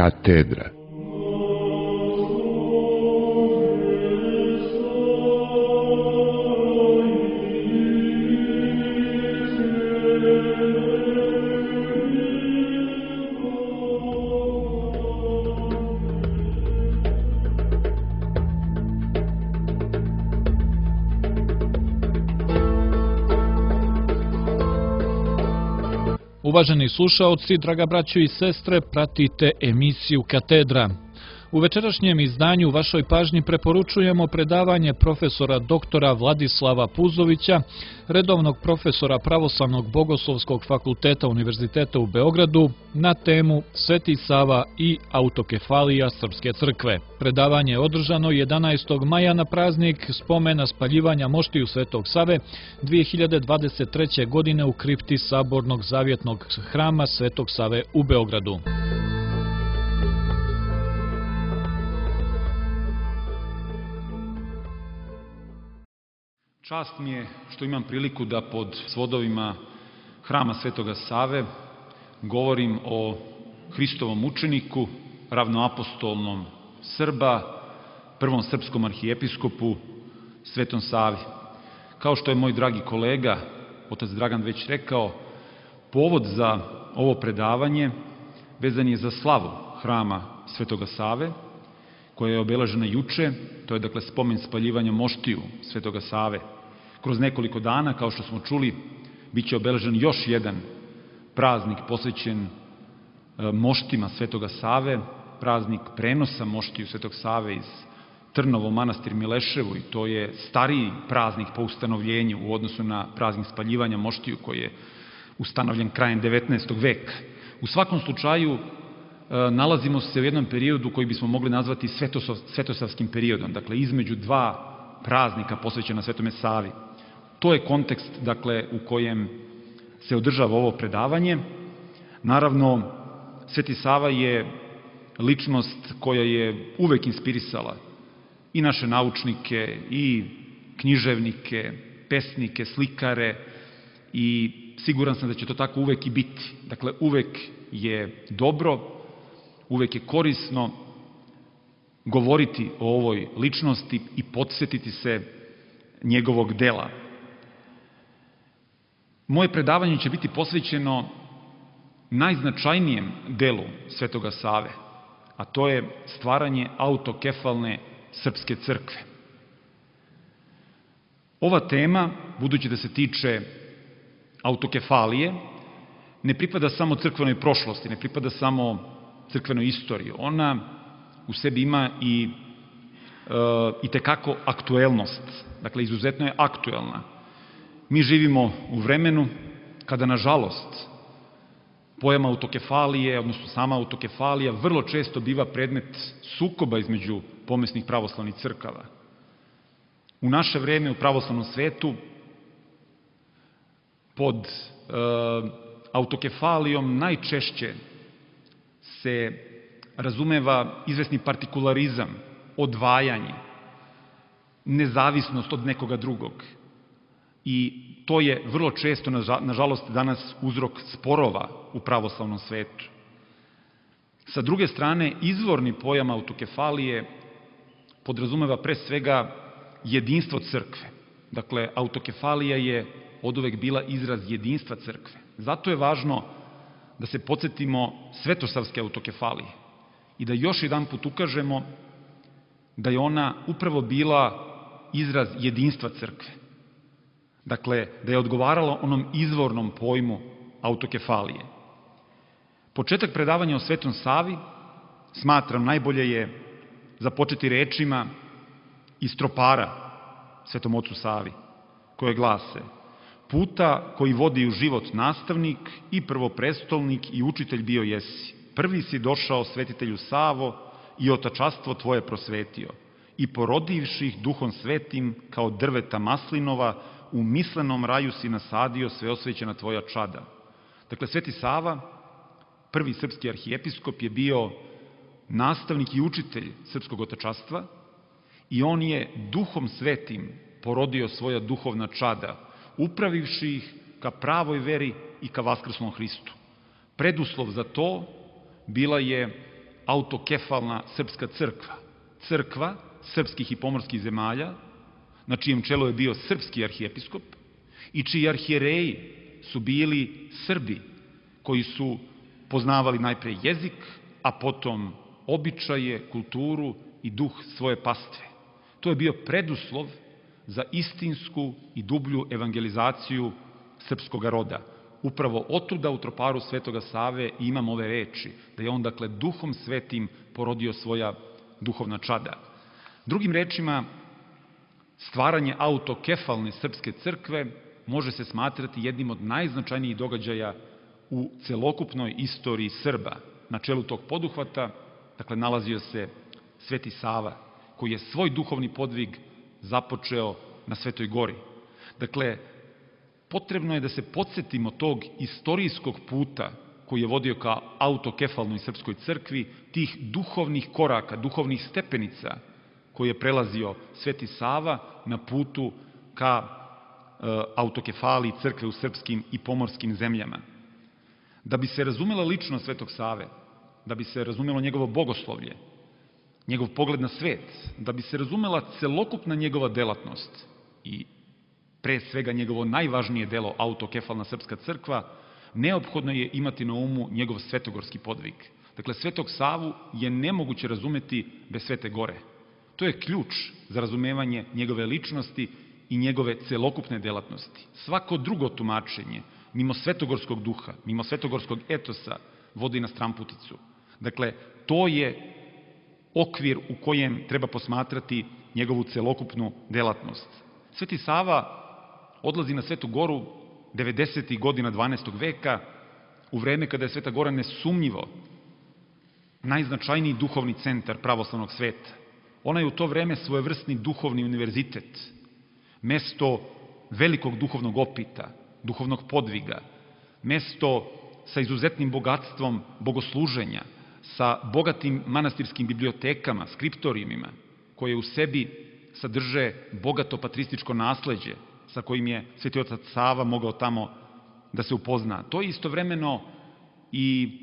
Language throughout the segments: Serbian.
Katedra. Uvaženi slušaoci, draga braćo i sestre, pratite emisiju Katedra. U večerašnjem izdanju vašoj pažnji preporučujemo predavanje profesora doktora Vladislava Puzovića, redovnog profesora Pravoslavnog bogoslovskog fakulteta Univerziteta u Beogradu, na temu Sveti Sava i autokefalija Srpske crkve. Predavanje je održano 11. maja na praznik spomena spaljivanja moštiju Svetog Save 2023. godine u kripti Sabornog zavjetnog hrama Svetog Save u Beogradu. Čast mi je što imam priliku da pod svodovima hrama Svetoga Save govorim o Hristovom učeniku, ravnoapostolnom Srba, prvom srpskom arhijepiskopu, Svetom Savi. Kao što je moj dragi kolega, otac Dragan već rekao, povod za ovo predavanje vezan je za slavu hrama Svetoga Save, koja je obeležena juče, to je dakle spomen spaljivanja moštiju Svetoga Save. Kroz nekoliko dana, kao što smo čuli, bit će obeležen još jedan praznik posvećen moštima Svetoga Save, praznik prenosa moštiju Svetog Save iz Trnovo manastir Mileševu, i to je stariji praznik po ustanovljenju u odnosu na praznik spaljivanja moštiju koji je ustanovljen krajem 19. veka. U svakom slučaju, nalazimo se u jednom periodu koji bismo mogli nazvati svetosavskim periodom, dakle između dva praznika posvećena Svetome Savi. To je kontekst, dakle, u kojem se održava ovo predavanje. Naravno, Sveti Sava je ličnost koja je uvek inspirisala i naše naučnike, i književnike, pesnike, slikare, i siguran sam da će to tako uvek i biti. Dakle, uvek je dobro, uvek je korisno govoriti o ovoj ličnosti i podsjetiti se njegovog dela. Moje predavanje će biti posvećeno najznačajnijem delu Svetoga Save, a to je stvaranje autokefalne Srpske crkve. Ova tema, budući da se tiče autokefalije, ne pripada samo crkvenoj prošlosti, ne pripada samo crkvenoj istoriji. Ona u sebi ima i tekako aktuelnost, dakle izuzetno je aktuelna. Mi živimo u vremenu kada, nažalost, pojam autokefalije, odnosno sama autokefalija, vrlo često biva predmet sukoba između pomesnih pravoslavnih crkava. U naše vreme u pravoslavnom svetu pod autokefalijom najčešće se razumeva izvesni partikularizam, odvajanje, nezavisnost od nekoga drugog. I to je vrlo često, nažalost, danas uzrok sporova u pravoslavnom svetu. Sa druge strane, izvorni pojam autokefalije podrazumeva pre svega jedinstvo crkve. Dakle, autokefalija je oduvek bila izraz jedinstva crkve. Zato je važno da se podsjetimo svetosavske autokefalije i da još jedan put ukažemo da je ona upravo bila izraz jedinstva crkve. Dakle, da je odgovarala onom izvornom pojmu autokefalije. Početak predavanja o Svetom Savi, smatram, najbolje je započeti rečima iz tropara Svetom ocu Savi, koje glase: puta koji vodi u život nastavnik i prvoprestolnik i učitelj bio jesi. Prvi si došao, svetitelju Savo, i otačastvo tvoje prosvetio. I porodivših duhom svetim kao drveta maslinova, u mislenom raju si nasadio sveosvećena tvoja čada. Dakle, Sveti Sava, prvi srpski arhijepiskop, je bio nastavnik i učitelj srpskog otačastva i on je duhom svetim porodio svoja duhovna čada, upravivši ih ka pravoj veri i ka vaskrslom Hristu. Preduslov za to bila je autokefalna srpska crkva. Crkva srpskih i pomorskih zemalja, na čijem čelu je bio srpski arhijepiskop i čiji arhijereji su bili Srbi, koji su poznavali najpre jezik, a potom običaje, kulturu i duh svoje pastve. To je bio preduslov za istinsku i dublju evangelizaciju srpskog roda. Upravo otuda u troparu Svetoga Save imam ove reči, da je on, dakle, duhom svetim porodio svoja duhovna čada. Drugim rečima, stvaranje autokefalne srpske crkve može se smatrati jednim od najznačajnijih događaja u celokupnoj istoriji Srba. Na čelu tog poduhvata, dakle, nalazio se Sveti Sava, koji je svoj duhovni podvig započeo na Svetoj Gori. Dakle, potrebno je da se podsjetimo tog istorijskog puta koji je vodio ka autokefalnoj srpskoj crkvi, tih duhovnih koraka, duhovnih stepenica koje je prelazio Sveti Sava na putu ka autokefaliji crkve u srpskim i pomorskim zemljama. Da bi se razumela ličnost Svetog Save, da bi se razumelo njegovo bogoslovlje, njegov pogled na svet, da bi se razumela celokupna njegova delatnost i pre svega njegovo najvažnije delo, autokefalna srpska crkva, neophodno je imati na umu njegov svetogorski podvig. Dakle, Svetog Savu je nemoguće razumeti bez Svete Gore. To je ključ za razumevanje njegove ličnosti i njegove celokupne delatnosti. Svako drugo tumačenje, mimo svetogorskog duha, mimo svetogorskog etosa, vodi na stramputicu. Dakle, to je okvir u kojem treba posmatrati njegovu celokupnu delatnost. Sveti Sava odlazi na Svetu Goru 90. godina 12. veka, u vreme kada je Sveta Gora nesumnjivo najznačajniji duhovni centar pravoslavnog sveta. Ona je u to vreme svojevrsni duhovni univerzitet, mesto velikog duhovnog opita, duhovnog podviga, mesto sa izuzetnim bogatstvom bogosluženja, sa bogatim manastirskim bibliotekama, skriptorijumima, koje u sebi sadrže bogato patrističko nasleđe sa kojim je Sveti otac Sava mogao tamo da se upozna. To je istovremeno i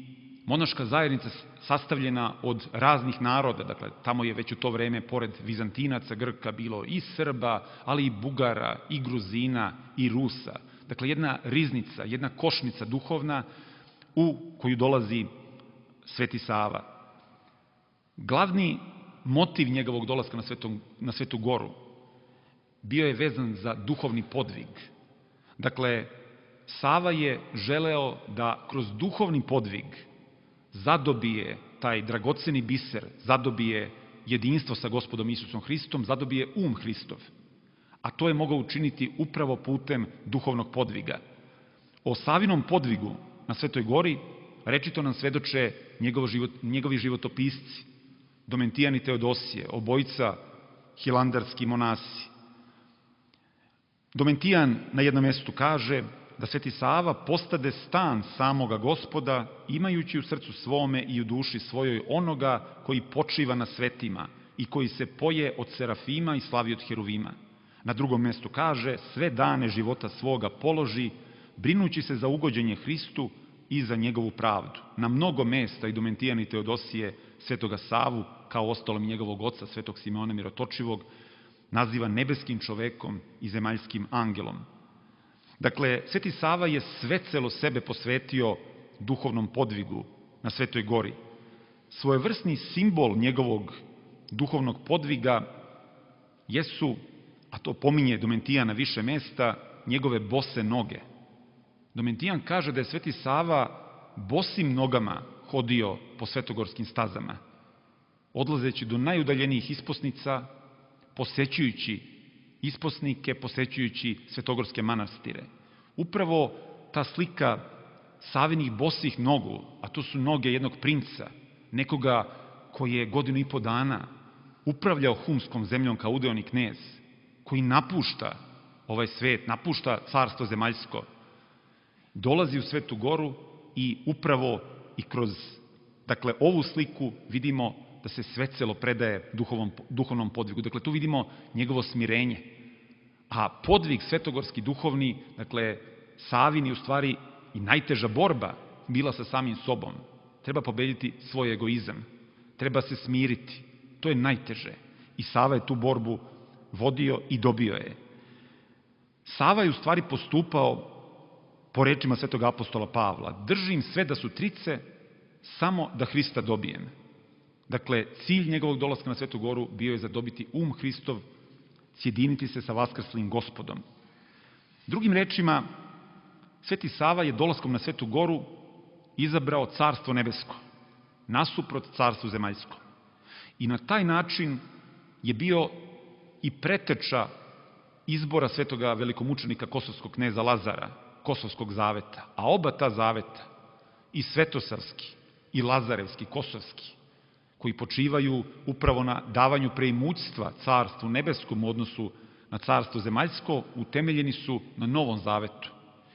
monaška zajednica sastavljena od raznih naroda, dakle, tamo je već u to vreme, pored Vizantinaca, Grka, bilo i Srba, ali i Bugara, i Gruzina, i Rusa. Dakle, jedna riznica, jedna košnica duhovna u koju dolazi Sveti Sava. Glavni motiv njegovog dolaska na Svetu Goru bio je vezan za duhovni podvig. Dakle, Sava je želeo da kroz duhovni podvig zadobije taj dragoceni biser, zadobije jedinstvo sa Gospodom Isusom Hristom, zadobije Hristov. A to je mogao učiniti upravo putem duhovnog podviga. O Savinom podvigu na Svetoj Gori rečito nam svedoče njegovi životopisci, Domentijan i Teodosije, obojica hilandarski monasi. Domentijan na jednom mestu kaže da Sveti Sava postade stan samoga Gospoda, imajući u srcu svome i u duši svojoj onoga koji počiva na svetima i koji se poje od serafima i slavi od heruvima. Na drugom mestu kaže, sve dane života svoga položi, brinući se za ugođenje Hristu i za njegovu pravdu. Na mnogo mesta i Domentijan i Teodosije Svetoga Savu, kao ostalom njegovog oca, Svetog Simeona Mirotočivog, naziva nebeskim čovekom i zemaljskim angelom. Dakle, Sveti Sava je svecelo sebe posvetio duhovnom podvigu na Svetoj Gori. Svojevrsni simbol njegovog duhovnog podviga jesu, a to pominje Domentijan na više mesta, njegove bose noge. Domentijan kaže da je Sveti Sava bosim nogama hodio po svetogorskim stazama, odlazeći do najudaljenijih isposnica, posećujući isposnike, posećujući svetogorske manastire. Upravo ta slika Savinih bosih nogu, a to su noge jednog princa, nekoga koji je 1,5 godina upravljao humskom zemljom kao udeoni knez, koji napušta ovaj svet, napušta carstvo zemaljsko, dolazi u Svetu Goru i upravo i kroz ovu sliku vidimo da se svecelo predaje duhovnom podvigu. Dakle, tu vidimo njegovo smirenje. A podvig svetogorski duhovni, Savin je u stvari i najteža borba bila sa samim sobom. Treba pobediti svoj egoizam. treba se smiriti. To je najteže. I Sava je tu borbu vodio i dobio je. Sava je u stvari postupao po rečima svetog apostola Pavla. Držim sve da su trice, samo da Hrista dobijem. Dakle, cilj njegovog dolaska na Svetu goru bio je zadobiti Hristov, sjediniti se sa vaskrslim Gospodom. Drugim rečima, Sveti Sava je dolaskom na Svetu goru izabrao carstvo nebesko, nasuprot carstvu zemaljskom. I na taj način je bio i preteča izbora svetoga velikomučenika kosovskog kneza Lazara, Kosovskog zaveta. A oba ta zaveta, i svetosavski, i lazarevski, kosovski, koji počivaju upravo na davanju preimućstva carstvu nebeskom u odnosu na carstvo zemaljsko, utemeljeni su na Novom zavetu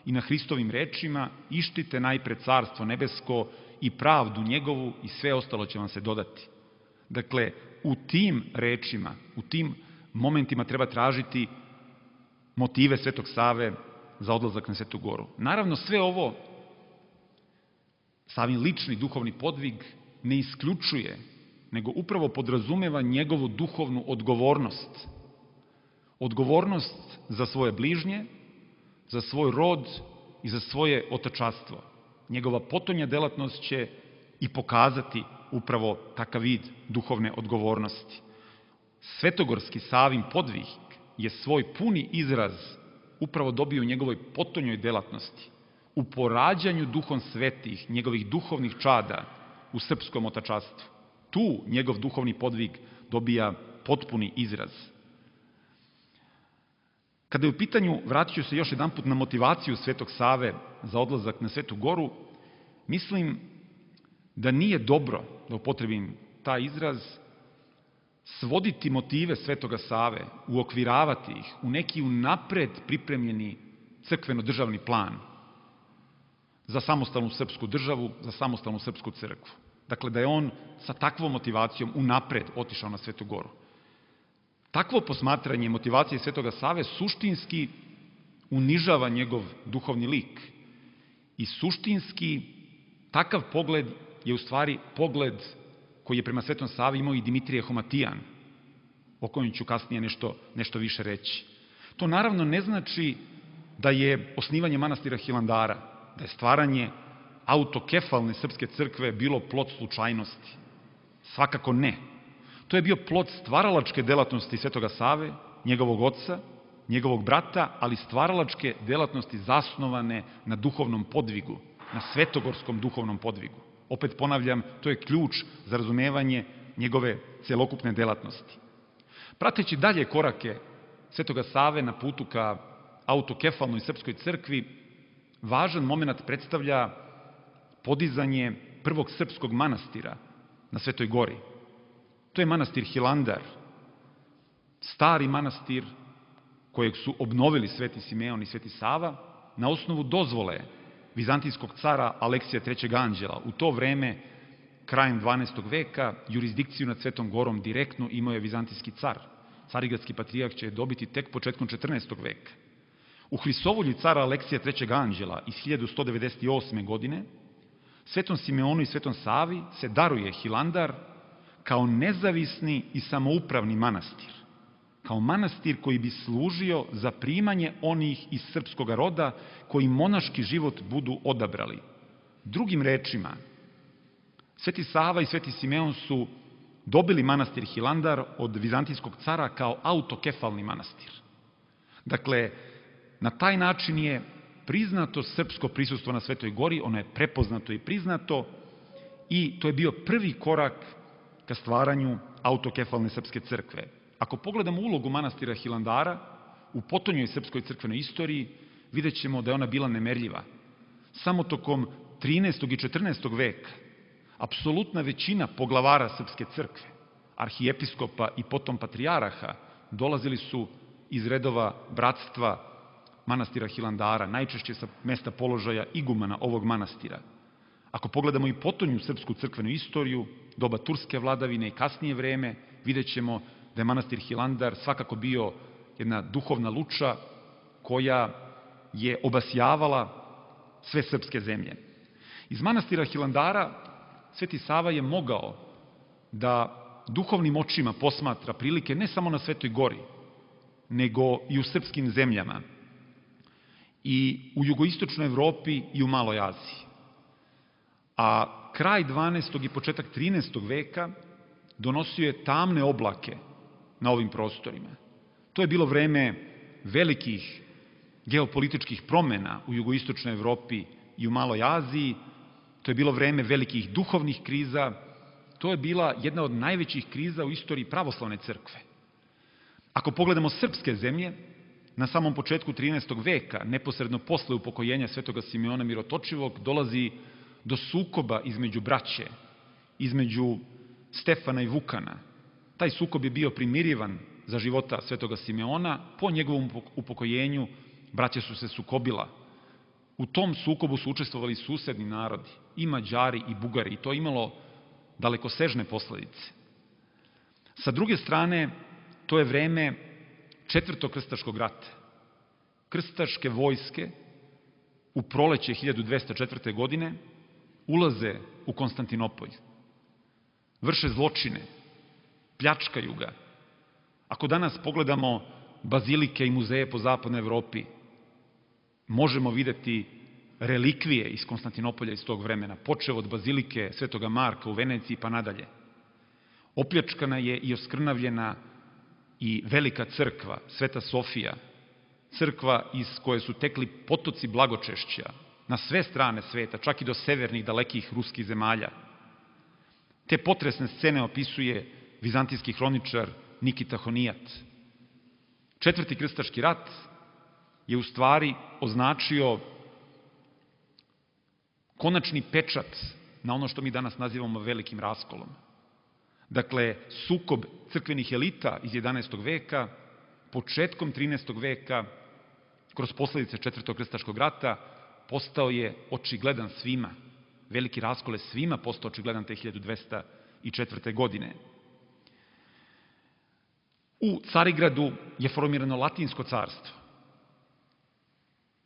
i na Hristovim rečima: ištite najpre carstvo nebesko i pravdu njegovu i sve ostalo će vam se dodati. Dakle, u tim rečima, u tim momentima treba tražiti motive Svetog Save za odlazak na Svetu goru. Naravno, sve ovo, Savin lični duhovni podvig, ne isključuje, nego upravo podrazumeva njegovu duhovnu odgovornost. Odgovornost za svoje bližnje, za svoj rod i za svoje otačastvo. Njegova potonja delatnost će i pokazati upravo takav vid duhovne odgovornosti. Svetogorski Savin podvig je svoj puni izraz upravo dobio u njegovoj potonjoj delatnosti, u porađanju duhom svetih, njegovih duhovnih čada u srpskom otačastvu. Tu njegov duhovni podvig dobija potpuni izraz. Kada je u pitanju, vratit ću se još jedanput na motivaciju Svetog Save za odlazak na Svetu goru, mislim da nije dobro, da upotrebim taj izraz, svoditi motive Svetoga Save, uokviravati ih u neki unapred pripremljeni crkveno-državni plan za samostalnu srpsku državu, za samostalnu srpsku crkvu. Dakle, da je on sa takvom motivacijom unapred otišao na Svetu goru. Takvo posmatranje motivacije Svetoga Save suštinski unižava njegov duhovni lik. I suštinski takav pogled je u stvari pogled koji je prema Svetom Savi imao i Dimitrije Homatijan, o kojem ću kasnije nešto više reći. To naravno ne znači da je osnivanje manastira Hilandara, da je stvaranje autokefalne srpske crkve bilo plod slučajnosti. Svakako ne. To je bio plod stvaralačke delatnosti Svetoga Save, njegovog oca, njegovog brata, ali stvaralačke delatnosti zasnovane na duhovnom podvigu, na svetogorskom duhovnom podvigu. Opet ponavljam, to je ključ za razumevanje njegove celokupne delatnosti. Prateći dalje korake Svetoga Save na putu ka autokefalnoj srpskoj crkvi, važan moment predstavlja podizanje prvog srpskog manastira na Svetoj gori. To je manastir Hilandar, stari manastir kojeg su obnovili Sveti Simeon i Sveti Sava na osnovu dozvole vizantijskog cara Aleksija III. Anđela. U to vreme, krajem 12. veka, jurisdikciju nad Svetom gorom direktno imao je vizantijski car. Carigradski patrijarh će je dobiti tek početkom 14. veka. U Hristovolji cara Aleksija III. Anđela iz 1198. godine Svetom Simeonu i Svetom Savi se daruje Hilandar kao nezavisni i samoupravni manastir. Kao manastir koji bi služio za primanje onih iz srpskog roda koji monaški život budu odabrali. Drugim rečima, Sveti Sava i Sveti Simeon su dobili manastir Hilandar od vizantijskog cara kao autokefalni manastir. Dakle, na taj način je priznato srpsko prisustvo na Svetoj gori, ono je prepoznato i priznato i to je bio prvi korak ka stvaranju autokefalne srpske crkve. Ako pogledamo ulogu manastira Hilandara u potonjoj srpskoj crkvenoj istoriji, vidjet ćemo da je ona bila nemerljiva. Samo tokom 13. i 14. veka apsolutna većina poglavara srpske crkve, arhijepiskopa i potom patrijaraha, dolazili su iz redova bratstva manastira Hilandara, najčešće sa mesta položaja igumana ovog manastira. Ako pogledamo i potonju srpsku crkvenu istoriju, doba turske vladavine i kasnije vreme, vidjet ćemo da je manastir Hilandar svakako bio jedna duhovna luča koja je obasjavala sve srpske zemlje. Iz manastira Hilandara Sveti Sava je mogao da duhovnim očima posmatra prilike ne samo na Svetoj gori, nego i u srpskim zemljama, i u jugoistočnoj Evropi i u Maloj Aziji. A kraj 12. i početak 13. veka donosio je tamne oblake na ovim prostorima. To je bilo vreme velikih geopolitičkih promena u jugoistočnoj Evropi i u Maloj Aziji, to je bilo vreme velikih duhovnih kriza, to je bila jedna od najvećih kriza u istoriji pravoslavne crkve. Ako pogledamo srpske zemlje, na samom početku 13. veka, neposredno posle upokojenja svetoga Simeona Mirotočivog, dolazi do sukoba između braće, između Stefana i Vukana. Taj sukob je bio primirivan za života svetoga Simeona, po njegovom upokojenju braća su se sukobila. U tom sukobu su učestvovali susedni narodi, i Mađari i Bugari, i to je imalo dalekosežne posledice. Sa druge strane, to je vreme Četvrtog krstaškog rata. Krstaške vojske u proleće 1204. godine ulaze u Konstantinopolj, vrše zločine, pljačkaju ga. Ako danas pogledamo bazilike i muzeje po zapadnoj Evropi, možemo videti relikvije iz Konstantinopolja iz tog vremena, počev od bazilike Svetoga Marka u Veneciji pa nadalje. Opljačkana je i oskrnavljena i velika crkva, Sveta Sofija, crkva iz koje su tekli potoci blagočešća na sve strane sveta, čak i do severnih dalekih ruskih zemalja. Te potresne scene opisuje vizantijski hroničar Nikita Honijat. Četvrti krstaški rat je u stvari označio konačni pečat na ono što mi danas nazivamo velikim raskolom. Dakle, sukob crkvenih elita iz 11. veka, početkom 13. veka, kroz posledice Četvrtog krstaškog rata, postao je očigledan svima. Veliki raskol je svima postao očigledan te 1204. godine. U Carigradu je formirano Latinsko carstvo.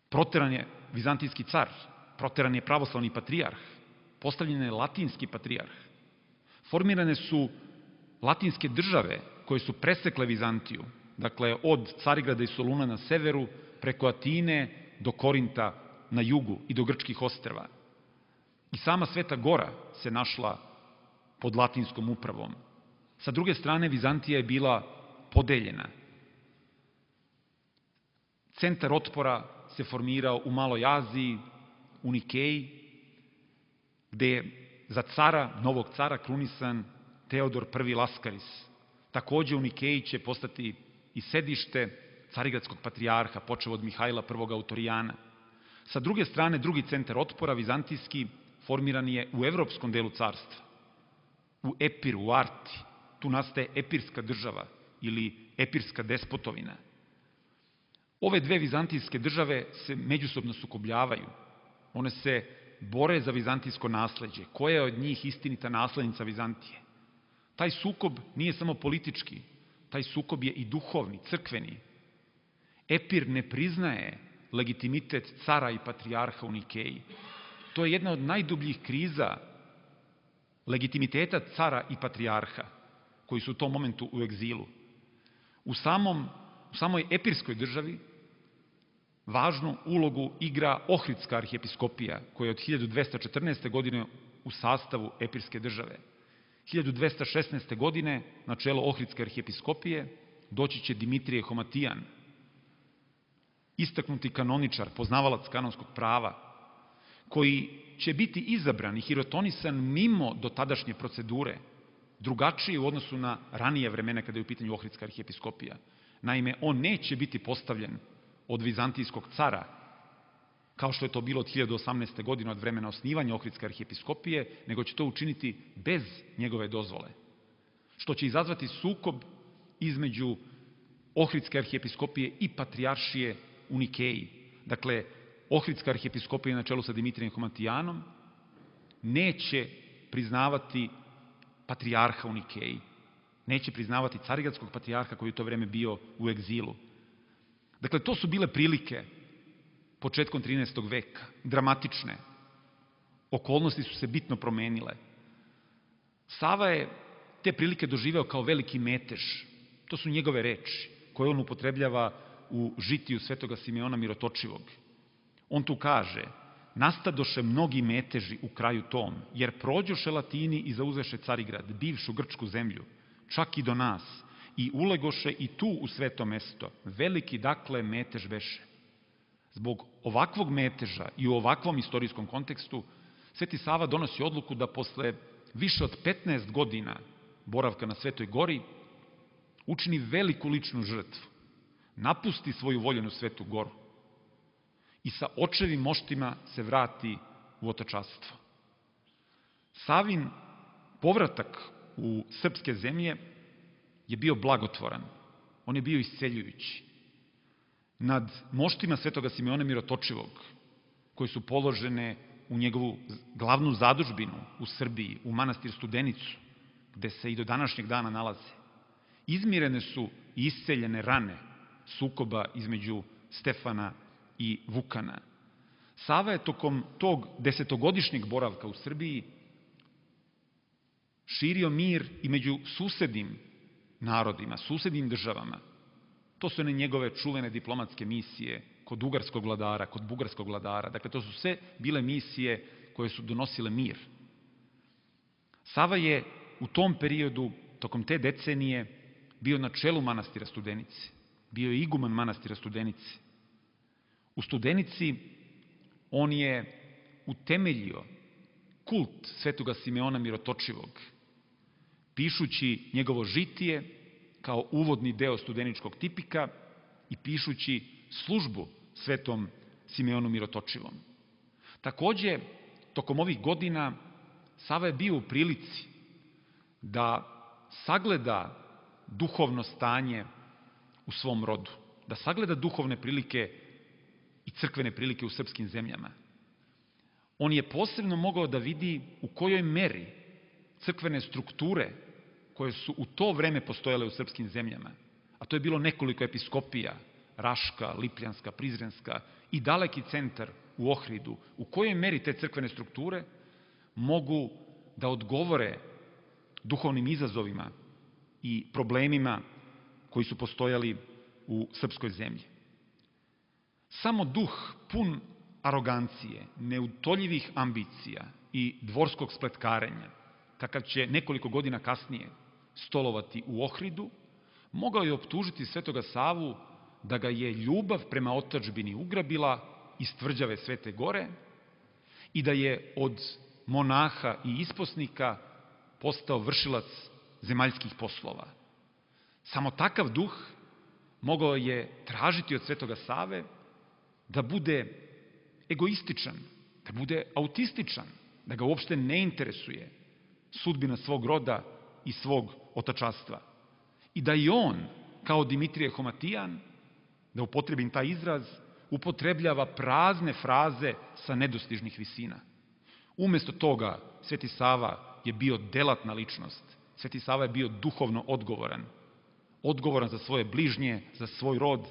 Proteran je vizantijski car, proteran je pravoslavni patrijarh, postavljen je latinski patrijarh. Formirane su latinske države koje su presekle Vizantiju, dakle od Carigrada i Soluna na severu, preko Atine do Korinta na jugu i do Grčkih ostrva. I sama Sveta Gora se našla pod latinskom upravom. Sa druge strane, Vizantija je bila podeljena. Centar otpora se formirao u Maloj Aziji, u Nikeji, gde je za cara, novog cara, krunisan Teodor I Laskaris. Takođe u Nikeji će postati i sedište carigradskog patrijarha, počev od Mihajla I Autorijana. Sa druge strane, drugi centar otpora, vizantijski, formiran je u evropskom delu carstva, u Epiru, u Arti. Tu nastaje epirska država ili epirska despotovina. Ove dve vizantijske države se međusobno sukobljavaju. One se bore za vizantijsko nasleđe. Koja je od njih istinita naslednica Vizantije? Taj sukob nije samo politički, taj sukob je i duhovni, crkveni. Epir ne priznaje legitimitet cara i patrijarha u Nikeji. To je jedna od najdubljih kriza legitimiteta cara i patrijarha, koji su u tom momentu u egzilu. U samoj epirskoj državi važnu ulogu igra Ohridska arhijepiskopija, koja je od 1214. godine u sastavu epirske države. 1216. godine na čelo Ohridske arhijepiskopije doći će Dimitrije Homatijan, istaknuti kanoničar, poznavalac kanonskog prava, koji će biti izabran i hirotonisan mimo dotadašnje procedure, drugačije u odnosu na ranije vremena kada je u pitanju Ohridska arhijepiskopija. Naime, on neće biti postavljen od vizantijskog cara, kao što je to bilo od 1018. godine, od vremena osnivanja Ohridske arhijepiskopije, nego će to učiniti bez njegove dozvole, što će izazvati sukob između Ohridske arhijepiskopije i patrijaršije u Nikeji. Dakle, Ohridska arhijepiskopija na čelu sa Dimitrijem Homatijanom neće priznavati patrijarha u Nikeji, neće priznavati carigradskog patrijarha koji je u to vreme bio u egzilu. Dakle, to su bile prilike početkom 13. veka, dramatične. Okolnosti su se bitno promenile. Sava je te prilike doživeo kao veliki metež. To su njegove reči koje on upotrebljava u žitiju svetoga Simeona Mirotočivog. On tu kaže: nastadoše mnogi meteži u kraju tom, jer prođoše Latini i zauzeše Carigrad, bivšu grčku zemlju, čak i do nas, i ulegoše i tu u sveto mesto. Veliki, dakle, metež beše. Zbog ovakvog meteža i u ovakvom istorijskom kontekstu, Sveti Sava donosi odluku da posle više od 15 godina boravka na Svetoj gori učini veliku ličnu žrtvu, napusti svoju voljenu Svetu goru i sa očevim moštima se vrati u otačanstvo. Savin povratak u srpske zemlje je bio blagotvoran, on je bio isceljujući. Nad moštima svetoga Simeona Mirotočivog, koje su položene u njegovu glavnu zadužbinu u Srbiji, u manastir Studenicu, gde se i do današnjeg dana nalaze, izmirene su i isceljene rane sukoba između Stefana i Vukana. Sava je tokom tog 10-godišnjeg boravka u Srbiji širio mir i među susednim narodima, susednim državama. To su one njegove čuvene diplomatske misije kod ugarskog vladara, kod bugarskog vladara. Dakle, to su sve bile misije koje su donosile mir. Sava je u tom periodu, tokom te decenije, bio na čelu manastira Studenice. Bio je iguman manastira Studenice. U Studenici on je utemeljio kult svetoga Simeona Mirotočivog, pišući njegovo žitije kao uvodni deo studeničkog tipika i pišući službu svetom Simeonu Mirotočivom. Takođe, tokom ovih godina Sava je bio u prilici da sagleda duhovno stanje u svom rodu, da sagleda duhovne prilike i crkvene prilike u srpskim zemljama. On je posebno mogao da vidi u kojoj meri crkvene strukture koje su u to vreme postojale u srpskim zemljama, a to je bilo nekoliko episkopija, Raška, Lipljanska, Prizrenska i daleki centar u Ohridu, u kojoj meri te crkvene strukture mogu da odgovore duhovnim izazovima i problemima koji su postojali u srpskoj zemlji. Samo duh pun arogancije, neutoljivih ambicija i dvorskog spletkarenja, kakav će nekoliko godina kasnije stolovati u Ohridu, mogao je optužiti svetoga Savu da ga je ljubav prema otadžbini ugrabila iz tvrđave Svete gore i da je od monaha i isposnika postao vršilac zemaljskih poslova. Samo takav duh mogao je tražiti od svetoga Save da bude egoističan, da bude autističan, da ga uopšte ne interesuje sudbina svog roda i svog otačanstva. I da i on, kao Dimitrije Homatijan, da upotrebim taj izraz, upotrebljava prazne fraze sa nedostižnih visina. Umesto toga, Sveti Sava je bio delatna ličnost. Sveti Sava je bio duhovno odgovoran. Odgovoran za svoje bližnje, za svoj rod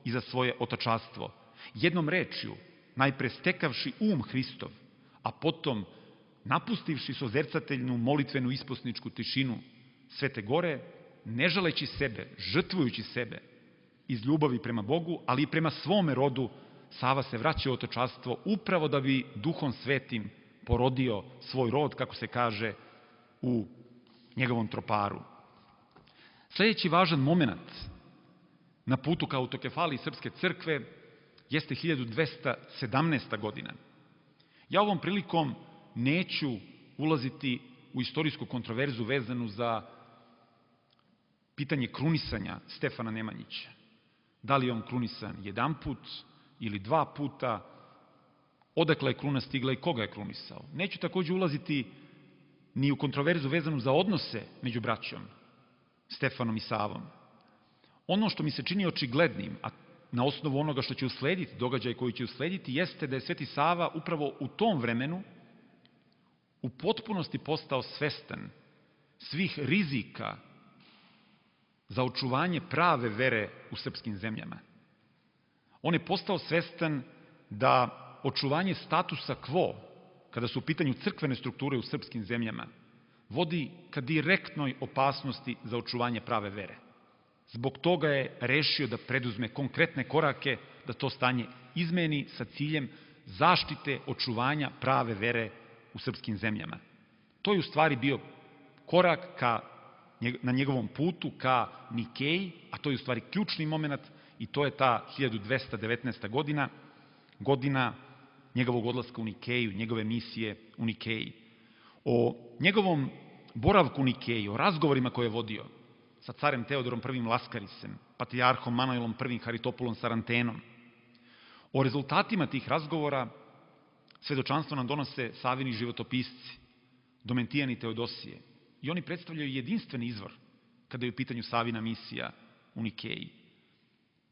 i za svoje otačanstvo. Jednom rečju, najpre stekavši Hristov, a potom napustivši sozercateljnu molitvenu isposničku tišinu Svete gore, ne žaleći sebe, žrtvujući sebe iz ljubavi prema Bogu, ali i prema svome rodu, Sava se vraća u otačanstvo upravo da bi Duhom Svetim porodio svoj rod, kako se kaže u njegovom troparu. Sljedeći važan moment na putu ka autokefaliji Srpske crkve jeste 1217. godina. Ja ovom prilikom neću ulaziti u istorijsku kontroverzu vezanu za pitanje krunisanja Stefana Nemanjića. Da li je on krunisan jedan put ili dva puta, odakle je kruna stigla i koga je krunisao. Neću takođe ulaziti ni u kontroverzu vezanu za odnose među braćom, Stefanom i Savom. Ono što mi se čini očiglednim, a na osnovu onoga što će uslediti, događaj koji će uslediti, jeste da je Sveti Sava upravo u tom vremenu u potpunosti postao svestan svih rizika za očuvanje prave vere u srpskim zemljama. On je postao svestan da očuvanje statusa quo, kada su u pitanju crkvene strukture u srpskim zemljama, vodi ka direktnoj opasnosti za očuvanje prave vere. Zbog toga je rešio da preduzme konkretne korake da to stanje izmeni sa ciljem zaštite očuvanja prave vere u srpskim zemljama. To je u stvari bio korak na njegovom putu ka Nikeji, a to je u stvari ključni moment i to je ta 1219. godina njegovog odlaska u Nikeju, njegove misije u Nikeji. O njegovom boravku u Nikeji, o razgovorima koje je vodio sa carem Teodorom I. Laskarisem, patrijarhom Manojlom I. Haritopulom Sarantenom, o rezultatima tih razgovora svedočanstvo nam donose Savini životopisci, Domentijan i Teodosije. I oni predstavljaju jedinstveni izvor kada je u pitanju Savina misija u Nikeji.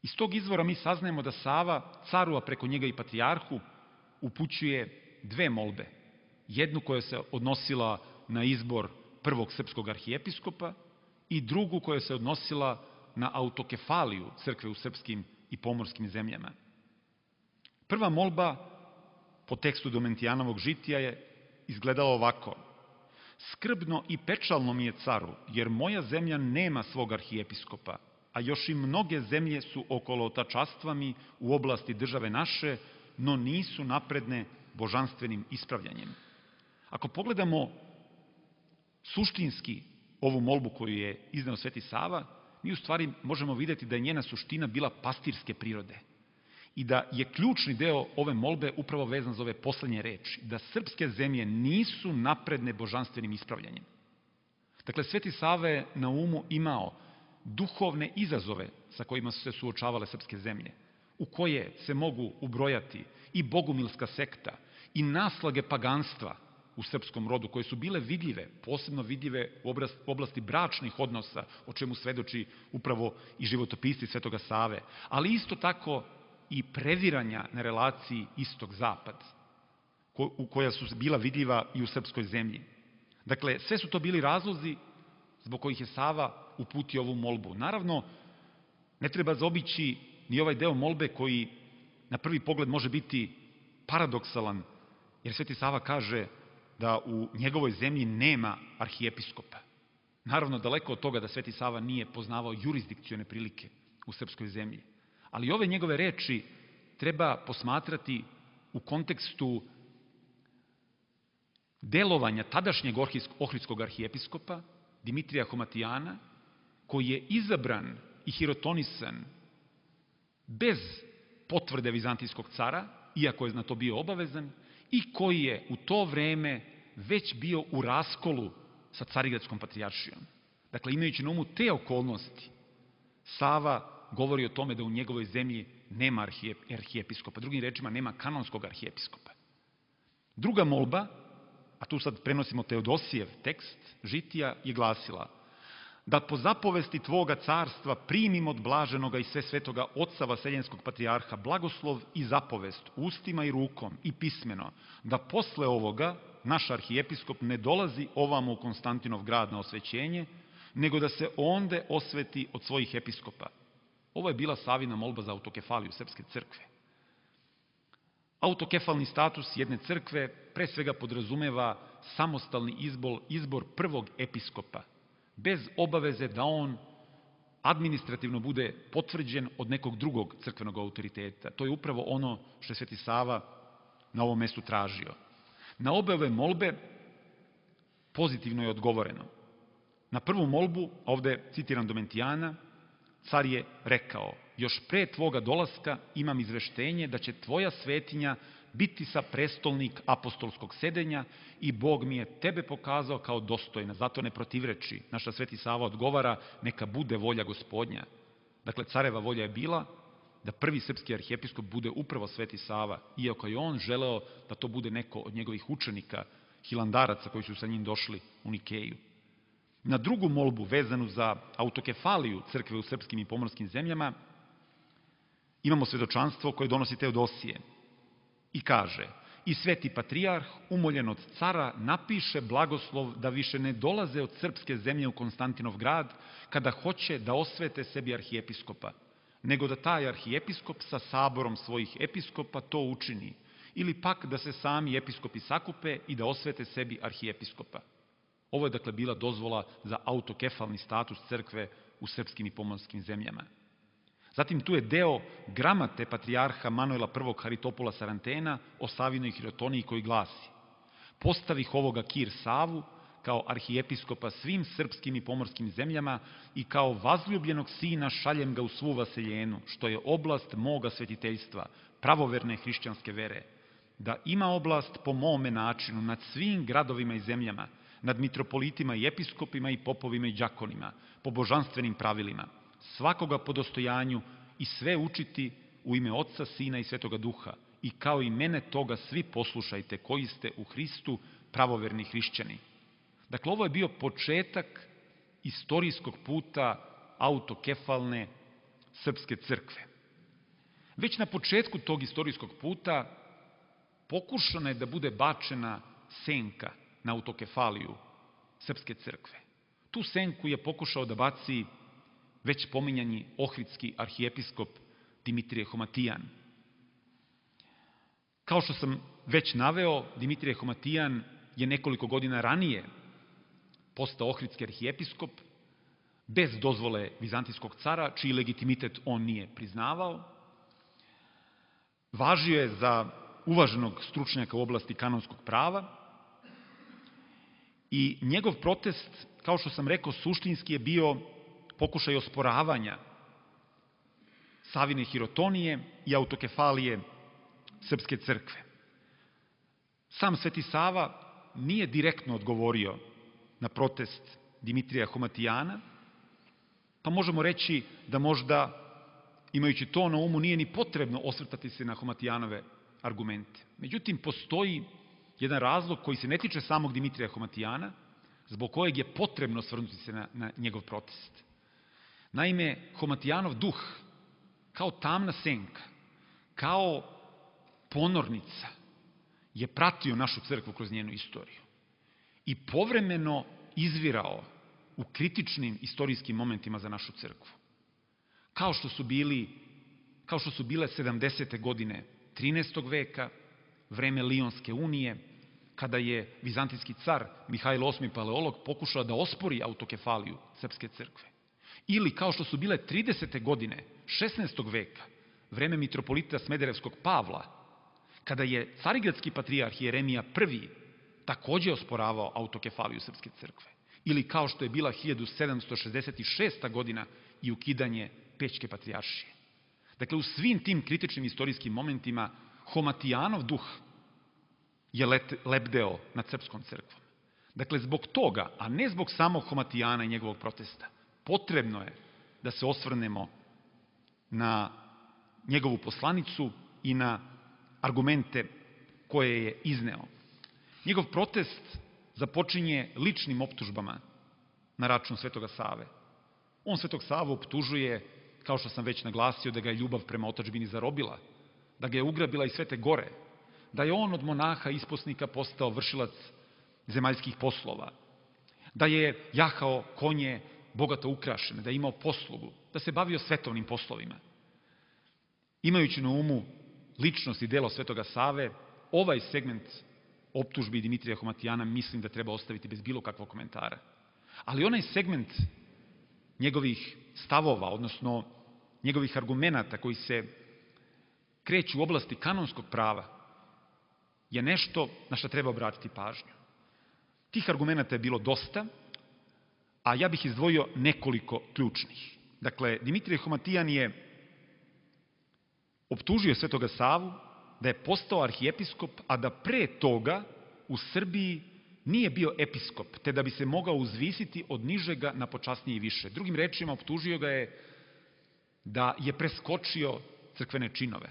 Iz tog izvora mi saznajemo da Sava, caru, a preko njega i patrijarhu, upućuje dve molbe. Jednu koja se odnosila na izbor prvog srpskog arhijepiskopa i drugu koja se odnosila na autokefaliju crkve u srpskim i pomorskim zemljama. Prva molba po tekstu Domentijanovog žitija je izgledala ovako: skrbno i pečalno mi je, caru, jer moja zemlja nema svog arhijepiskopa, a još i mnoge zemlje su okolotačastva mi u oblasti države naše, no nisu napredne božanstvenim ispravljanjem. Ako pogledamo suštinski ovu molbu koju je izneo Sveti Sava, mi u stvari možemo vidjeti da je njena suština bila pastirske prirode i da je ključni deo ove molbe upravo vezan za ove poslednje reči, da srpske zemlje nisu napredne božanstvenim ispravljanjem. Dakle, Sveti Sava je na umu imao duhovne izazove sa kojima su se suočavale srpske zemlje, u koje se mogu ubrojati i bogumilska sekta i naslage paganstva u srpskom rodu, koje su bile vidljive, posebno vidljive u oblasti bračnih odnosa, o čemu svedoči upravo i životopisci Svetoga Save, ali isto tako i previranja na relaciji istok-zapad, koja su bila vidljiva i u srpskoj zemlji. Dakle, sve su to bili razlozi zbog kojih je Sava uputio ovu molbu. Naravno, ne treba zaobići ni ovaj deo molbe koji na prvi pogled može biti paradoksalan, jer Sveti Sava kaže da u njegovoj zemlji nema arhijepiskopa. Naravno, daleko od toga da Sveti Sava nije poznavao jurisdikcione prilike u srpskoj zemlji. Ali ove njegove reči treba posmatrati u kontekstu delovanja tadašnjeg ohridskog arhijepiskopa, Dimitrija Homatijana, koji je izabran i hirotonisan bez potvrde vizantijskog cara, iako je na to bio obavezan, i koji je u to vreme već bio u raskolu sa Carigradskom patrijaršijom. Dakle, imajući na umu te okolnosti, Sava govori o tome da u njegovoj zemlji nema arhijepiskopa, drugim rečima nema kanonskog arhijepiskopa. Druga molba, a tu sad prenosimo Teodosijev tekst žitija, je glasila: da po zapovesti Tvoga carstva primim od blaženoga i sve svetoga oca Vaseljenskog patrijarha blagoslov i zapovest ustima i rukom i pismeno, da posle ovoga naš arhijepiskop ne dolazi ovamo u Konstantinov grad na osvećenje, nego da se onde osveti od svojih episkopa. Ovo je bila Savina molba za autokefaliju srpske crkve. Autokefalni status jedne crkve pre svega podrazumeva samostalni izbor prvog episkopa, bez obaveze da on administrativno bude potvrđen od nekog drugog crkvenog autoriteta. To je upravo ono što je Sveti Sava na ovom mestu tražio. Na obe ove molbe pozitivno je odgovoreno. Na prvu molbu, ovde citiram Domentijana, car je rekao: još pre tvoga dolaska imam izveštenje da će tvoja svetinja biti sa prestolnik apostolskog sedenja i Bog mi je tebe pokazao kao dostojna, zato ne protivreči. Naša Sveti Sava odgovara: neka bude volja Gospodnja. Dakle, careva volja je bila da prvi srpski arhijepiskop bude upravo Sveti Sava, iako je on želeo da to bude neko od njegovih učenika, hilandaraca koji su sa njim došli u Nikeju. Na drugu molbu, vezanu za autokefaliju crkve u srpskim i pomorskim zemljama, imamo svedočanstvo koje donosi Teodosije i kaže: i sveti patrijarh, umoljen od cara, napiše blagoslov da više ne dolaze od srpske zemlje u Konstantinov grad kada hoće da osvete sebi arhijepiskopa, nego da taj arhijepiskop sa saborom svojih episkopa to učini, ili pak da se sami episkopi sakupe i da osvete sebi arhijepiskopa. Ovo je dakle bila dozvola za autokefalni status crkve u srpskim i pomorskim zemljama. Zatim tu je deo gramate patrijarha Manuela I. Haritopula Sarantena o Savinoj hirotoniji koji glasi: postavih ovoga Kir Savu kao arhijepiskopa svim srpskim i pomorskim zemljama i kao vazljubljenog sina šaljem ga u svu vaseljenu, što je oblast moga svetiteljstva, pravoverne hrišćanske vere, da ima oblast po mome načinu nad svim gradovima i zemljama, nad mitropolitima i episkopima i popovima i đakonima, po božanstvenim pravilima, svakoga po dostojanju i sve učiti u ime Otca, Sina i Svetoga Duha, i kao i mene toga svi poslušajte koji ste u Hristu pravoverni hrišćani. Dakle, ovo je bio početak istorijskog puta autokefalne srpske crkve. Već na početku tog istorijskog puta pokušana je da bude bačena senka na autokefaliju srpske crkve. Tu senku je pokušao da baci već pominjani ohridski arhijepiskop Dimitrije Homatijan. Kao što sam već naveo, Dimitrije Homatijan je nekoliko godina ranije postao ohridski arhijepiskop bez dozvole vizantijskog cara, čiji legitimitet on nije priznavao. Važio je za uvaženog stručnjaka u oblasti kanonskog prava i njegov protest, kao što sam rekao, suštinski je bio pokušaj osporavanja Savine hirotonije i autokefalije srpske crkve. Sam Sveti Sava nije direktno odgovorio na protest Dimitrija Homatijana, pa možemo reći da možda, imajući to na umu, nije ni potrebno osvrtati se na Homatijanove argumente. Međutim, postoji jedan razlog koji se ne tiče samog Dimitrija Homatijana, zbog kojeg je potrebno osvrnuti se na njegov protest. Naime, Homatijanov duh, kao tamna senka, kao ponornica, je pratio našu crkvu kroz njenu istoriju i povremeno izvirao u kritičnim istorijskim momentima za našu crkvu. Kao što su bile 70. godine 13. veka, vreme Lionske unije, kada je vizantijski car Mihajlo VIII Paleolog pokušao da ospori autokefaliju srpske crkve. Ili kao što su bile 30. godine 16. veka, vreme mitropolita Smederevskog Pavla, kada je carigradski patrijarh Jeremija I takođe osporavao autokefaliju srpske crkve. Ili kao što je bila 1766. godina i ukidanje Pećke patrijaršije. Dakle, u svim tim kritičnim istorijskim momentima Homatijanov duh je lebdeo nad srpskom crkvom. Dakle, zbog toga, a ne zbog samog Homatijana i njegovog protesta, potrebno je da se osvrnemo na njegovu poslanicu i na argumente koje je izneo. Njegov protest započinje ličnim optužbama na račun Svetoga Save. On Svetog Savu optužuje, kao što sam već naglasio, da ga je ljubav prema otadžbini zarobila, da ga je ugrabila i Svete Gore, da je on od monaha isposnika postao vršilac zemaljskih poslova, da je jahao konje bogato ukrašene, da je imao poslugu, da se bavio svetovnim poslovima. Imajući na umu ličnost i delo Svetoga Save, ovaj segment optužbi Dimitrija Homatijana mislim da treba ostaviti bez bilo kakvog komentara. Ali onaj segment njegovih stavova, odnosno njegovih argumenata koji se kreću u oblasti kanonskog prava, je nešto na što treba obratiti pažnju. Tih argumenata je bilo dosta, a ja bih izdvojio nekoliko ključnih. Dakle, Dimitrije Homatijan je optužio Svetoga Savu da je postao arhijepiskop, a da pre toga u Srbiji nije bio episkop, te da bi se mogao uzvisiti od nižega na počasnije i više. Drugim rečima, optužio ga je da je preskočio crkvene činove.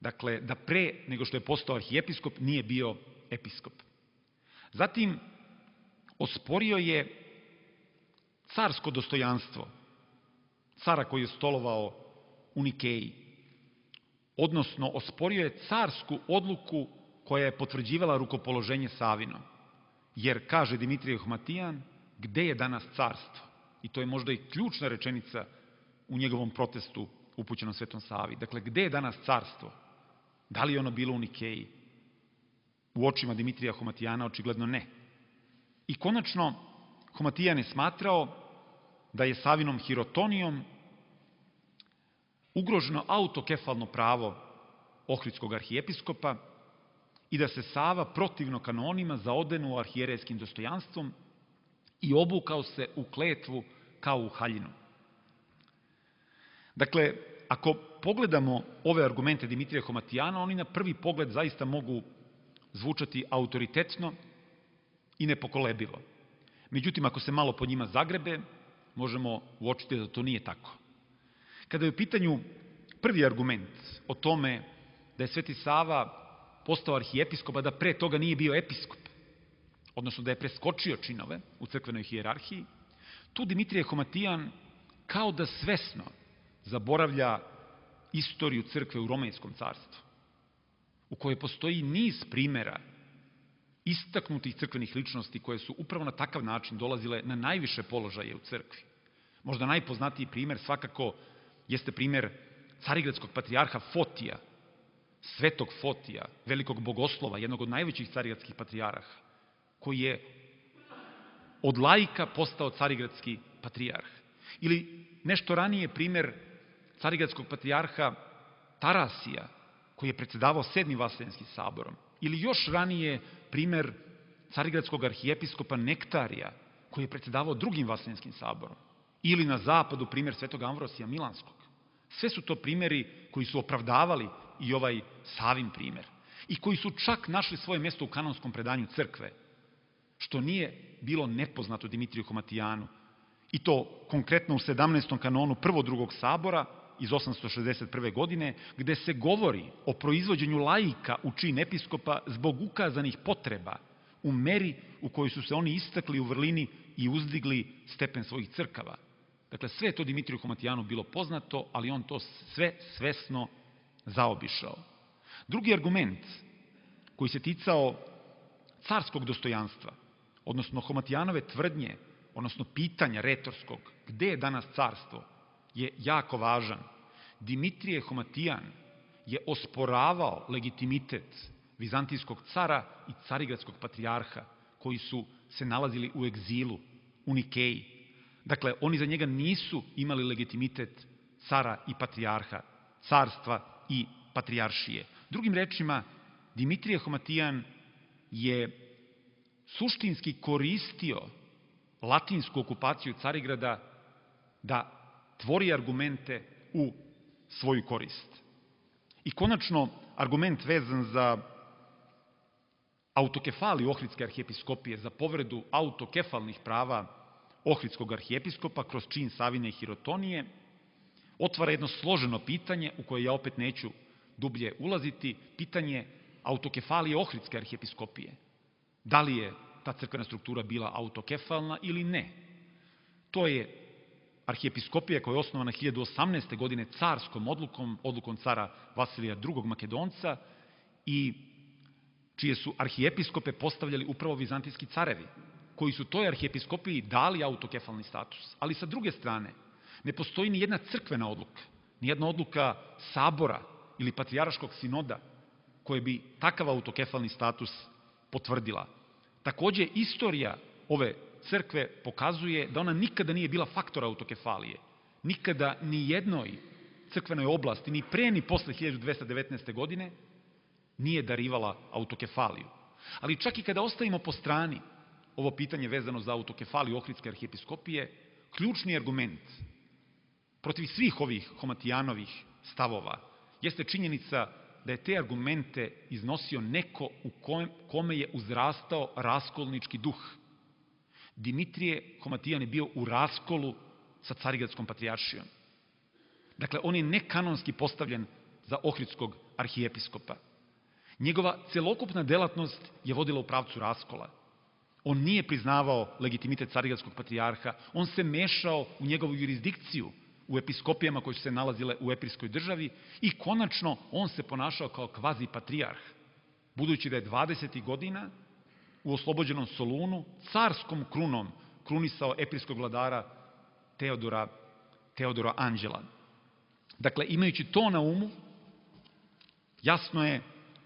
Dakle, da pre nego što je postao arhijepiskop nije bio episkop. Zatim, osporio je carsko dostojanstvo cara koji je stolovao u Nikeji, odnosno osporio je carsku odluku koja je potvrđivala rukopoloženje Savino. Jer, kaže Dimitrije Homatijan, gde je danas carstvo? I to je možda i ključna rečenica u njegovom protestu upućenom Svetom Savi. Dakle, gde je danas carstvo? Da li je ono bilo u Nikeji? U očima Dimitrija Homatijana očigledno ne. I konačno, Homatijan je smatrao da je Savinom hirotonijom ugroženo autokefalno pravo ohridskog arhijepiskopa i da se Sava protivno kanonima zaodenuo arhijerejskim dostojanstvom i obukao se u kletvu kao u haljinu. Dakle, ako pogledamo ove argumente Dimitrija Homatijana, oni na prvi pogled zaista mogu zvučati autoritetno i nepokolebivo. Međutim, ako se malo po njima zagrebe, možemo uočiti da to nije tako. Kada je u pitanju prvi argument o tome da je Sveti Sava postao arhijepiskop, a da pre toga nije bio episkop, odnosno da je preskočio činove u crkvenoj hijerarhiji, tu Dimitrije Homatijan kao da svesno zaboravlja istoriju crkve u Romejskom carstvu, u kojoj postoji niz primera istaknutih crkvenih ličnosti koje su upravo na takav način dolazile na najviše položaje u crkvi. Možda najpoznatiji primer svakako jeste primer carigradskog patrijarha Fotija, svetog Fotija, velikog bogoslova, jednog od najvećih carigradskih patrijarha, koji je od laika postao carigradski patrijarh. Ili nešto ranije primer carigradskog patrijarha Tarasija, koji je predsedavao 7. Vaseljenski saborom. Ili još ranije primer carigradskog arhijepiskopa Nektarija, koji je predsedavao 2. Vaseljenskim saborom. Ili na zapadu primer svetog Amvrosija Milanskog. Sve su to primeri koji su opravdavali i ovaj Savin primer i koji su čak našli svoje mjesto u kanonskom predanju crkve, što nije bilo nepoznato Dimitriju Homatijanu, i to konkretno u 17. kanonu prvog drugog sabora iz 861. godine, gde se govori o proizvođenju laika u čin episkopa zbog ukazanih potreba u meri u kojoj su se oni istakli u vrlini i uzdigli stepen svojih crkava. Dakle, sve je to Dimitriju Homatijanu bilo poznato, ali on to sve svesno zaobišao. Drugi argument koji se ticao carskog dostojanstva, odnosno Homatijanove tvrdnje, odnosno pitanja retorskog, gde je danas carstvo, je jako važan. Dimitrije Homatijan je osporavao legitimitet vizantijskog cara i carigradskog patrijarha, koji su se nalazili u egzilu u Nikeji. Dakle, oni za njega nisu imali legitimitet cara i patrijarha, carstva i patrijaršije. Drugim rečima, Dimitrije Homatijan je suštinski koristio latinsku okupaciju Carigrada da tvori argumente u svoju korist. I konačno, argument vezan za autokefaliju Ohridske arhijepiskopije, za povredu autokefalnih prava Ohridskog arhijepiskopa kroz čin Savine hirotonije, otvara jedno složeno pitanje u koje ja opet neću dublje ulaziti, pitanje autokefalije Ohridske arhijepiskopije. Da li je ta crkvena struktura bila autokefalna ili ne? To je arhijepiskopija koja je osnovana 1018. godine carskom odlukom cara Vasilija II. Makedonca i čije su arhijepiskope postavljali upravo vizantijski carevi, koji su toj arhijepiskopiji dali autokefalni status. Ali sa druge strane, ne postoji ni jedna crkvena odluka, ni jedna odluka sabora ili patrijarškog sinoda koje bi takav autokefalni status potvrdila. Takođe, istorija ove crkve pokazuje da ona nikada nije bila faktor autokefalije. Nikada ni jednoj crkvenoj oblasti, ni pre ni posle 1219. godine, nije darivala autokefaliju. Ali čak i kada ostavimo po strani ovo pitanje vezano za autokefaliju Ohridske arhijepiskopije, ključni argument protiv svih ovih Homatijanovih stavova jeste činjenica da je te argumente iznosio neko u kome je uzrastao raskolnički duh. Dimitrije Homatijan je bio u raskolu sa carigradskom patrijaršijom. Dakle, on je nekanonski postavljen za ohridskog arhijepiskopa. Njegova celokupna delatnost je vodila u pravcu raskola. On nije priznavao legitimitet carigradskog patrijarha, on se mešao u njegovu jurisdikciju, u episkopijama koje su se nalazile u epirskoj državi i konačno on se ponašao kao kvazi patrijarh, budući da je 20. godina u oslobođenom Solunu carskom krunom krunisao epirskog vladara Teodora Anđela. Dakle, imajući to na umu, jasno je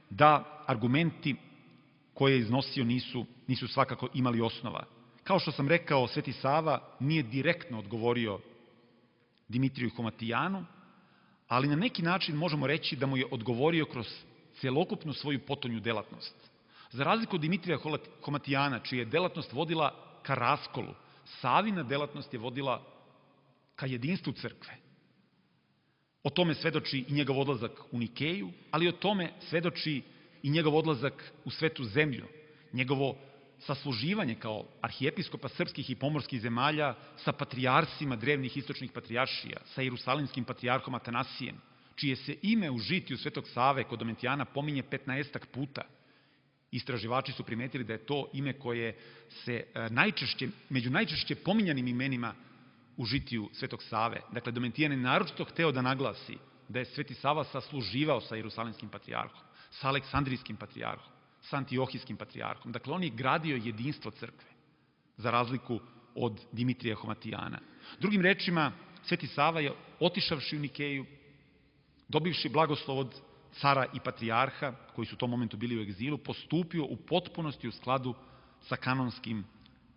da argumenti koje je iznosio nisu svakako imali osnova. Kao što sam rekao, Sveti Sava nije direktno odgovorio Dimitriju Homatijanu, ali na neki način možemo reći da mu je odgovorio kroz celokupnu svoju potonju delatnost. Za razliku od Dimitrija Homatijana, čija je delatnost vodila ka raskolu, Savina delatnost je vodila ka jedinstvu crkve. O tome svedoči i njegov odlazak u Nikeju, ali o tome svedoči i njegov odlazak u Svetu zemlju, njegovo sasluživanje kao arhijepiskopa srpskih i pomorskih zemalja sa patrijarsima drevnih istočnih patrijaršija, sa jerusalimskim patrijarhom Atanasijem, čije se ime u žitiju Svetog Save kod Domitijana pominje 15 puta. Istraživači su primetili da je to ime koje se među najčešće pominjanim imenima u žitiju Svetog Save. Dakle, Domitijan je naročito hteo da naglasi da je Sveti Sava sasluživao sa jerusalimskim patrijarhom, sa aleksandrijskim patrijarhom, sa antiohijskim patrijarhom. Dakle, on je gradio jedinstvo crkve, za razliku od Dimitrija Homatijana. Drugim rečima, Sveti Sava je, otišavši u Nikeju, dobivši blagoslov od cara i patrijarha, koji su u tom momentu bili u egzilu, postupio u potpunosti u skladu sa kanonskim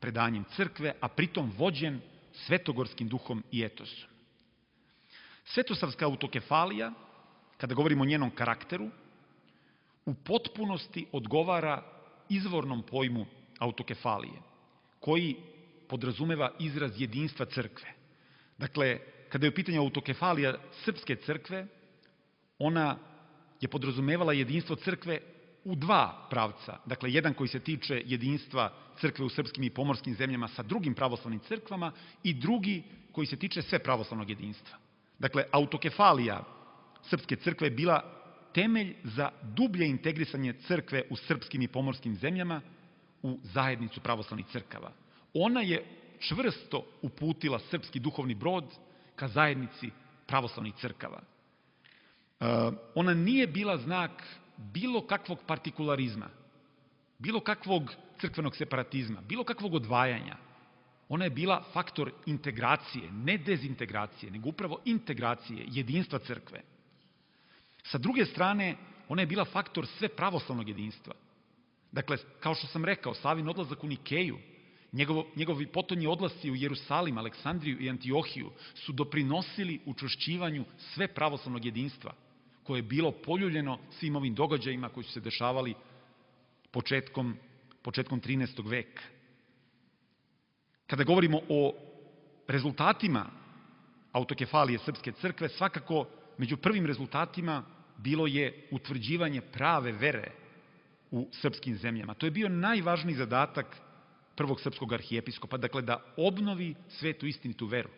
predanjem crkve, a pritom vođen svetogorskim duhom i etosom. Svetosavska autokefalija, kada govorimo o njenom karakteru, u potpunosti odgovara izvornom pojmu autokefalije, koji podrazumeva izraz jedinstva crkve. Dakle, kada je u pitanju autokefalija srpske crkve, ona je podrazumevala jedinstvo crkve u dva pravca. Dakle, jedan koji se tiče jedinstva crkve u srpskim i pomorskim zemljama sa drugim pravoslavnim crkvama i drugi koji se tiče sve pravoslavnog jedinstva. Dakle, autokefalija srpske crkve je bila temelj za dublje integrisanje crkve u srpskim i pomorskim zemljama u zajednicu pravoslavnih crkava. Ona je čvrsto uputila srpski duhovni brod ka zajednici pravoslavnih crkava. Ona nije bila znak bilo kakvog partikularizma, bilo kakvog crkvenog separatizma, bilo kakvog odvajanja. Ona je bila faktor integracije, ne dezintegracije, nego upravo integracije, jedinstva crkve. Sa druge strane, ona je bila faktor sve pravoslavnog jedinstva. Dakle, kao što sam rekao, Savin odlazak u Nikeju, njegovi potonji odlasci u Jerusalim, Aleksandriju i Antiohiju su doprinosili učvršćivanju sve pravoslavnog jedinstva, koje je bilo poljuljeno svim ovim događajima koji su se dešavali početkom 13. veka. Kada govorimo o rezultatima autokefalije srpske crkve, svakako među prvim rezultatima bilo je utvrđivanje prave vere u srpskim zemljama. To je bio najvažniji zadatak prvog srpskog arhijepiskopa, dakle da obnovi svetu istinitu veru.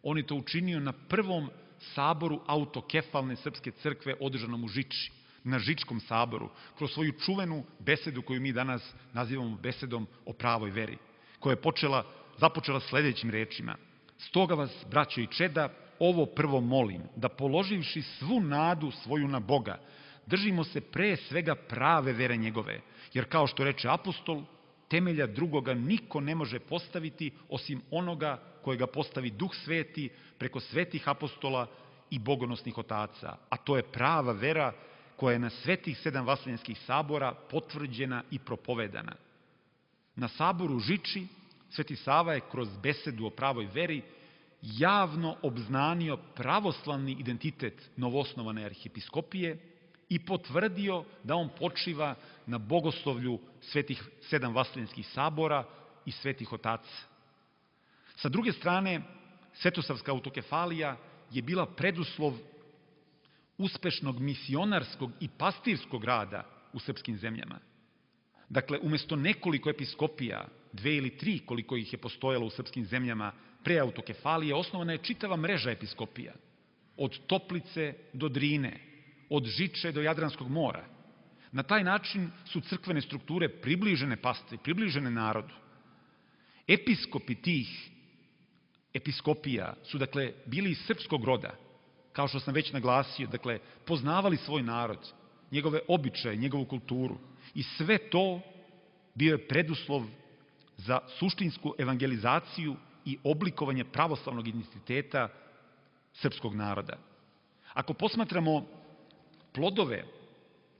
On je to učinio na prvom saboru autokefalne srpske crkve održanom u Žiči, na Žičkom saboru, kroz svoju čuvenu besedu koju mi danas nazivamo besedom o pravoj veri, koja je započela sledećim rečima: "Stoga vas, braćo i čeda, ovo prvo molim, da položivši svu nadu svoju na Boga, držimo se pre svega prave vere njegove, jer kao što reče apostol, temelja drugoga niko ne može postaviti osim onoga kojega postavi Duh Sveti preko svetih apostola i bogonosnih otaca, a to je prava vera koja je na svetih 7 vaseljenskih sabora potvrđena i propovedana." Na saboru u Žiči Sveti Sava je kroz besedu o pravoj veri javno obznanio pravoslavni identitet novoosnovane arhijepiskopije i potvrdio da on počiva na bogoslovlju svetih 7 vaseljenskih sabora i svetih otaca. Sa druge strane, Svetosavska autokefalija je bila preduslov uspešnog misionarskog i pastirskog rada u srpskim zemljama. Dakle, umesto nekoliko episkopija, 2 ili 3 koliko ih je postojalo u srpskim zemljama pre autokefalije, osnovana je čitava mreža episkopija, od Toplice do Drine, od Žiče do Jadranskog mora. Na taj način su crkvene strukture približene pastvi, približene narodu. Episkopi tih episkopija su, dakle, bili iz srpskog roda, kao što sam već naglasio, dakle, poznavali svoj narod, njegove običaje, njegovu kulturu, i sve to bio je preduslov za suštinsku evangelizaciju i oblikovanje pravoslavnog identiteta srpskog naroda. Ako posmatramo plodove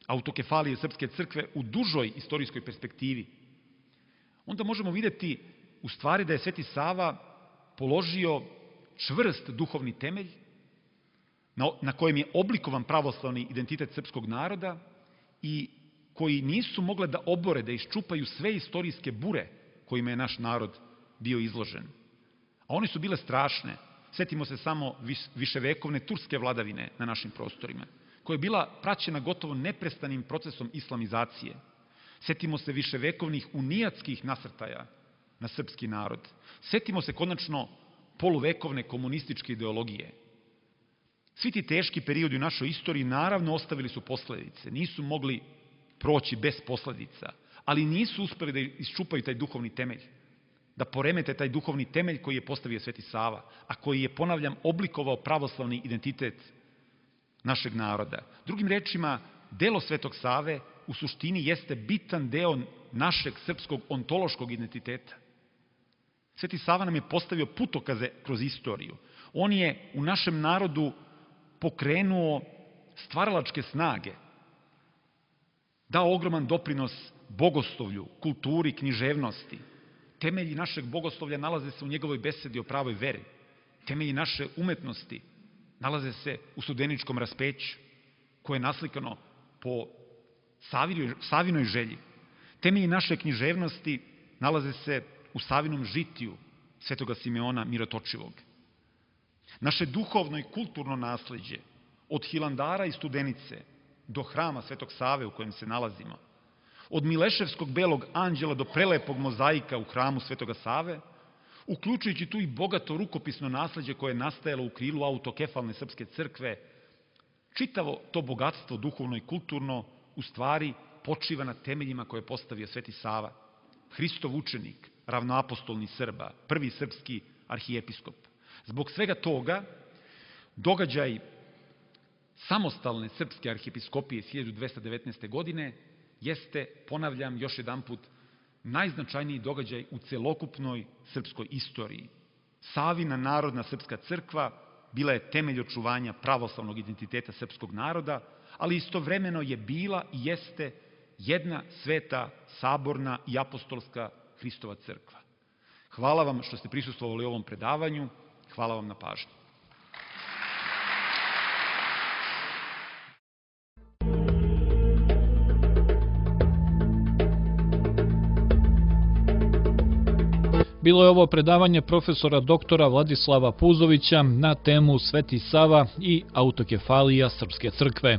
autokefalije Srpske crkve u dužoj istorijskoj perspektivi, onda možemo vidjeti u stvari da je Sveti Sava položio čvrst duhovni temelj na kojem je oblikovan pravoslavni identitet srpskog naroda i koji nisu mogle da obore, da iščupaju sve istorijske bure kojima je naš narod bio izložen. A one su bile strašne. Sjetimo se samo viševekovne turske vladavine na našim prostorima, koja je bila praćena gotovo neprestanim procesom islamizacije. Sjetimo se viševekovnih unijatskih nasrtaja na srpski narod. Sjetimo se konačno poluvekovne komunističke ideologije. Svi ti teški periodi u našoj istoriji naravno ostavili su posledice, nisu mogli proći bez posledica, ali nisu uspeli da iščupaju taj duhovni temelj, da poremete taj duhovni temelj koji je postavio Sveti Sava, a koji je, ponavljam, oblikovao pravoslavni identitet našeg naroda. Drugim rečima, delo Svetog Save u suštini jeste bitan deo našeg srpskog ontološkog identiteta. Sveti Sava nam je postavio putokaze kroz istoriju. On je u našem narodu pokrenuo stvaralačke snage, dao ogroman doprinos bogoslovlju, kulturi, književnosti. Temelji našeg bogoslovlja nalaze se u njegovoj besedi o pravoj veri. Temelji naše umetnosti nalaze se u Studeničkom raspeću, koje je naslikano po Savinoj želji. Temelji naše književnosti nalaze se u Savinom žitiju Svetoga Simeona Mirotočivog. Naše duhovno i kulturno nasleđe, od Hilandara i Studenice do hrama Svetog Save u kojem se nalazimo, od Mileševskog belog anđela do prelepog mozaika u hramu Svetoga Save, uključujući tu i bogato rukopisno nasleđe koje je nastajalo u krilu autokefalne Srpske crkve, čitavo to bogatstvo duhovno i kulturno u stvari počiva na temeljima koje je postavio Sveti Sava, Hristov učenik, ravnoapostolni Srba, prvi srpski arhijepiskop. Zbog svega toga, događaj samostalne srpske arhijepiskopije iz 1219. godine jeste, ponavljam još jedanput, najznačajniji događaj u celokupnoj srpskoj istoriji. Savina narodna srpska crkva bila je temelj očuvanja pravoslavnog identiteta srpskog naroda, ali istovremeno je bila i jeste jedna sveta, saborna i apostolska Hristova crkva. Hvala vam što ste prisustvovali ovom predavanju. Hvala vam na pažnji. Bilo je ovo predavanje profesora doktora Vladislava Puzovića na temu Sveti Sava i autokefalija Srpske crkve.